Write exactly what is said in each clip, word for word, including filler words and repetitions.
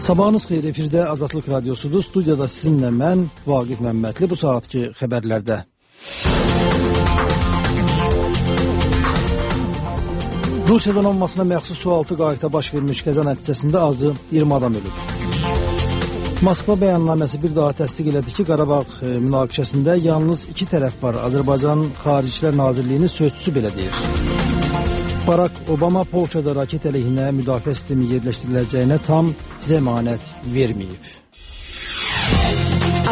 Sabahınız xeyir, efirdə Azadlıq Radyosudur. Studiyada sizinlə mən, Vaqif Məmmədli, bu saatki xəbərlərdə. Rusiya donanmasına məxsus sualtı qayıqda baş vermiş qəza nəticəsində azı iyirmi adam ölüb. Moskva bəyannaməsi bir daha təsdiq elədi ki, Qarabağ münaqişəsində yalnız iki tərəf var. Azərbaycan Xaricilər Nazirliyinin sözçüsü belə deyir. Barack Obama Polşada raket əleyhinə müdafiə sistemi yerləşdiriləcəyinə tam zəmanət verməyib.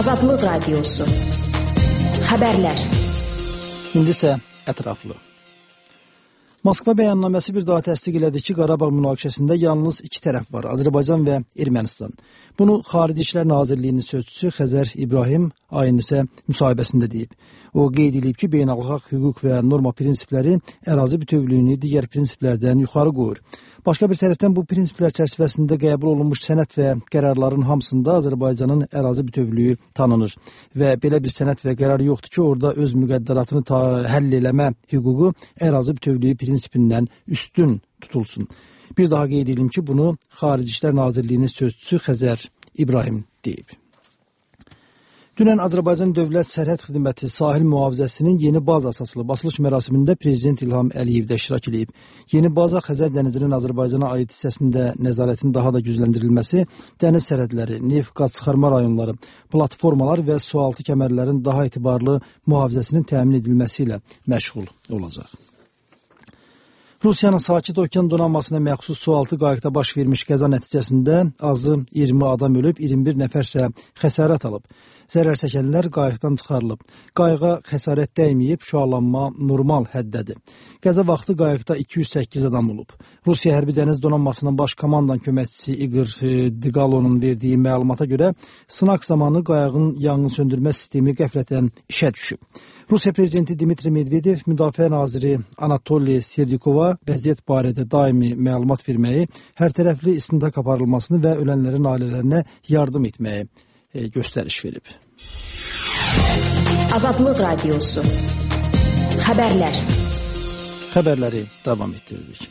Azadlıq Radyosu. Xəbərlər. İndi isə ətraflı. Moskva bəyannaməsi bir daha təsdiq elədi ki, Qarabağ münaqişəsində yalnız iki tərəf var, Azərbaycan və Ermənistan. Bunu Xarici İşlər Nazirliyinin sözçüsü Xəzər İbrahim ayın isə müsahibəsində deyib. O qeyd edib ki, beynəlxalq hüquq və norma prinsipləri ərazi bütövlüyünü digər prinsiplərdən yuxarı qoyur. Başqa bir tərəfdən bu prinsiplər çərçivəsində qəbul olunmuş sənəd və qərarların hamısında Azərbaycanın ərazi bütövlüyü tanınır. Və belə bir sənəd və qərar yoxdur ki, orada öz müqəddəratını həll eləmə hüququ ərazi bütövlüyü prinsipindən üstün tutulsun. Bir daha qeyd edim ki, bunu Xarici İşlər Nazirliyinin sözçüsü Xəzər İbrahim deyib. Dünən Azərbaycan Dövlət Sərhəd Xidməti sahil mühafizəsinin yeni baza açılıb. Açılış mərasimində Prezident İlham Əliyev də iştirak edib. Yeni baza Xəzər dənizinin Azərbaycana aid hissəsində nəzarətin daha da gücləndirilməsi, dəniz sərhədləri, neft qaz çıxarma rayonları, platformalar və sualtı kəmərlərin daha etibarlı mühafizəsinin təmin edilməsi ilə məşğul olacaq. Rusiyanın Sakit Okean donanmasına məxsus sualtı qayıqda baş vermiş qəza nəticəsində azı iyirmi adam ölüb, iyirmi bir nəfərsə xəsarət alıb. Zərər çəkənlər qayıqdan çıxarılıb. Qayığa xəsarət dəyməyib, şüalanma normal həddədir. Qəza vaxtı qayıqda iki yüz səkkiz adam olub. Rusiya Hərbi Dəniz Donanmasının baş komandan köməkçisi İqor Digalonun verdiyi məlumata görə sınaq zamanı qayığın yanğın söndürmə sistemi qəflətən işə düşüb. Rusiya Prezidenti Dmitri Medvedev, Müdafiə Naziri Anatoliy Serdikova vəziyyət barədə daimi məlumat verməyi, hər tərəfli istintaq aparılmasını və ölənlərin ailələrinə yardım etməyi göstəriş verib. Azadlıq Radyosu. Xəbərlər. Xəbərləri davam etdiririk.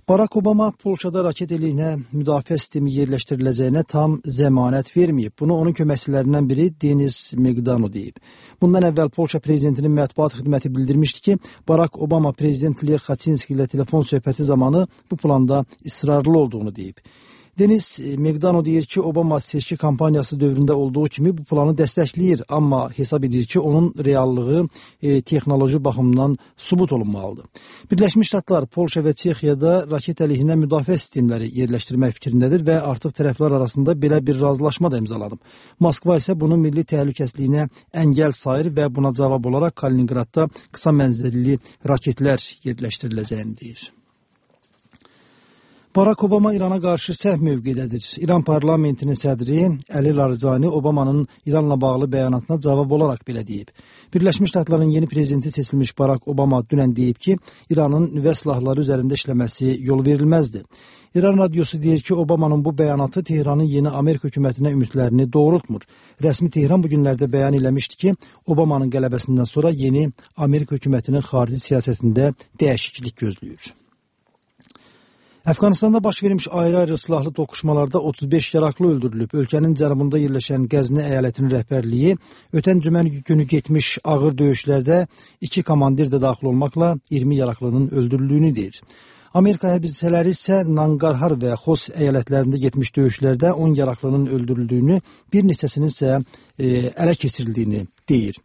Barack Obama Polşada raket əleyhinə müdafiə sistemi yerləşdiriləcəyinə tam zəmanət verməyib. Bunu onun köməkçilərindən biri Denis Megdano deyib. Bundan əvvəl Polşa prezidentinin mətbuat xidməti bildirmişdi ki, Barack Obama prezident Lech Kaczynski ilə telefon söhbəti zamanı bu planda israrlı olduğunu deyib. Denis Megdano deyir ki, Obama seçki kampaniyası dövründə olduğu kimi bu planı dəstəkləyir, amma hesab edir ki, onun reallığı e, texnoloji baxımdan sübut olunmalıdır. Birləşmiş Ştatlar, Polşa və Çexiyada raket əleyhinə müdafiə sistemləri yerləşdirmək fikrindədir və artıq tərəflər arasında belə bir razılaşma da imzalanıb. Moskva isə bunun milli təhlükəsizliyinə əngəl sayır və buna cavab olaraq Kaliningradda qısa mənzilli raketlər yerləşdiriləcəyini deyir. Barack Obama İrana qarşı sərt mövqedədir. İran parlamentinin sədri Əli Larijani Obamanın İranla bağlı bəyanatına cavab olaraq belə deyib. Birləşmiş Ştatların yeni prezidenti seçilmiş Barack Obama dünən deyib ki, İranın nüvə silahları üzərində işləməsi yol verilməzdir. İran radiosu deyir ki, Obamanın bu bəyanatı Tehranın yeni Amerika hökumətinə ümidlərini doğrultmur. Rəsmi Tehran bu günlərdə bəyan eləmişdi ki, Obamanın qələbəsindən sonra yeni Amerika hökumətinin xarici siyasətində dəyişiklik gözləyir. Əfqanistanda baş vermiş ayrı-ayrı silahlı toqquşmalarda otuz beş yaraqlı öldürülüb. Ölkənin cənubunda yerləşən Qəzni əyalətinin rəhbərliyi ötən cümə günü getmiş ağır döyüşlərdə iki komandir də daxil olmaqla iyirmi yaraqlının öldürüldüyünü deyir. Amerika hərbçiləri isə Nangarhar və Xos əyalətlərində getmiş döyüşlərdə on yaraqlının öldürüldüyünü, bir neçəsinin isə e, ələ keçirildiyini deyir.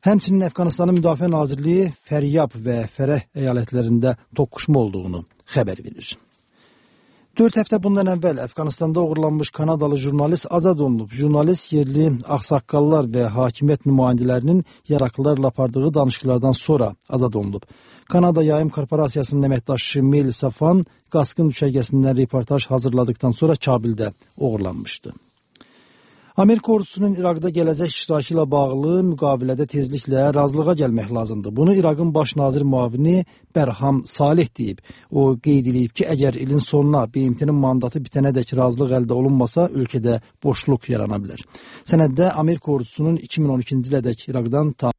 Həmçinin Əfqanistanın Müdafiə Nazirliyi Fəryab və Fərəh əyalətlərində toqquşma olduğunu xəbər verir. Dörd həftə bundan əvvəl Əfqanistanda uğurlanmış Kanadalı jurnalist azad olunub. Jurnalist yerli ağsaqqallar və hakimiyyət nümayəndələrinin yaraqlılarla apardığı danışıqlardan sonra azad olunub. Kanada Yayım Korporasiyasının əməkdaşı Mel Safan Qaskın düşərgəsindən reportaj hazırladıktan sonra Kabildə uğurlanmışdı. Amerika ordusunun İraqda gələcək iştirakı ilə bağlı müqavilədə tezliklə razılığa gəlmək lazımdır. Bunu İraqın baş nazir müavini Bərham Salih deyib. O qeyd edib ki, əgər ilin sonuna B M T-nin mandatı bitənədək razılıq əldə olunmasa, ölkədə boşluq yarana bilər. Sənəddə Amerika ordusunun iki min on ikinci ilədək İraqdan tam